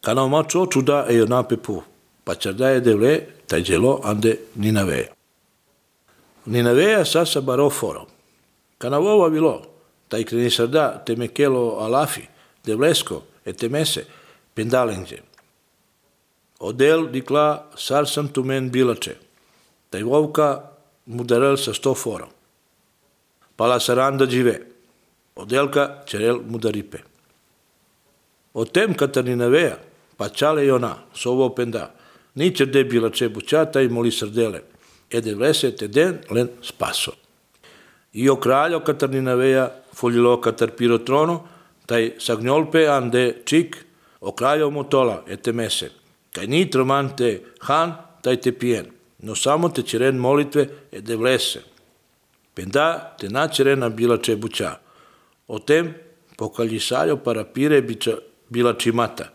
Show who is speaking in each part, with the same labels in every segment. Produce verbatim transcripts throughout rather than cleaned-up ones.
Speaker 1: Kana omacho čuda e onape pu, pa čardaje devle, taj djelo ande Ninaveja. Ninaveja sasa baroforo. Kana vova bilo, taj krenisarda te mekelo alafi, devlesko, e temese, pendalengje. Odel dikla sarsam tumen bilače, taj vovka mudarel sa sto foro. Pala saranda džive, odelka čerel mudaripe. O tem katar Ninaveja, pa čale i ona, sovo penda, ničer de bilače bućata i moli srdele, e devlese te den len spaso. I o kraljo katar Ninaveja, fuljilo katar pirotrono, taj sagnjolpe ande čik, o kraljo motola, e temese, kaj ni tromante han, taj te pijen, no samo te čeren molitve e devlese. Penda te načerena bilače buća. O tem pokaljisaljo parapire bića bilači mata.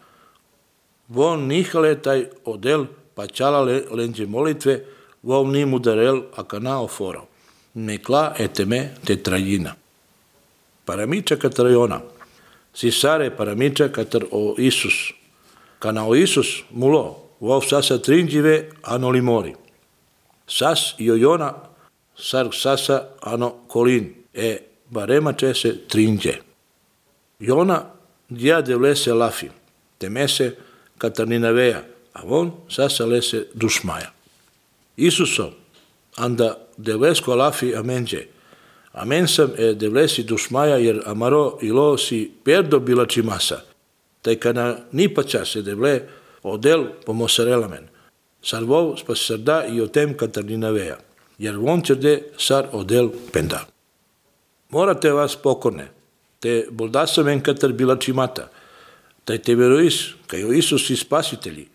Speaker 1: Von nihale taj odel pa čala lenđe molitve, vom ni mudarel a kanao foro. Nekla eteme te trajina. Paramiča katar ona. Sisare paramiča katar o Isus. Kana o Isus mulo, vov sasa trinđive ano limori. Sas i ojona sar sasa ano kolin, e barema čese trinđe. Jona dja devlese lafi, temese katar Ninaveja, a von sasa lese dušmaja. Isuso, anda devlesko lafi amenđe. Amen sam e devlesi dušmaja jer amaro ilo si perdo bilači masa. Taj kana nipaća se devle odel pomosarelamen. Sar vov spas sarda i o tem katar Ninaveja, jer von čerde sar odel penda. Morate vas pokorne, te boldasamen katar bilači mata, taj te verois, kaj o Isus i spasitelji,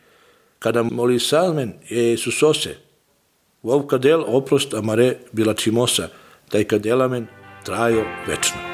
Speaker 1: kada moli salmen e Isusose, vov kadel oprost amare bilači mosa, taj kadelamen trajo večno.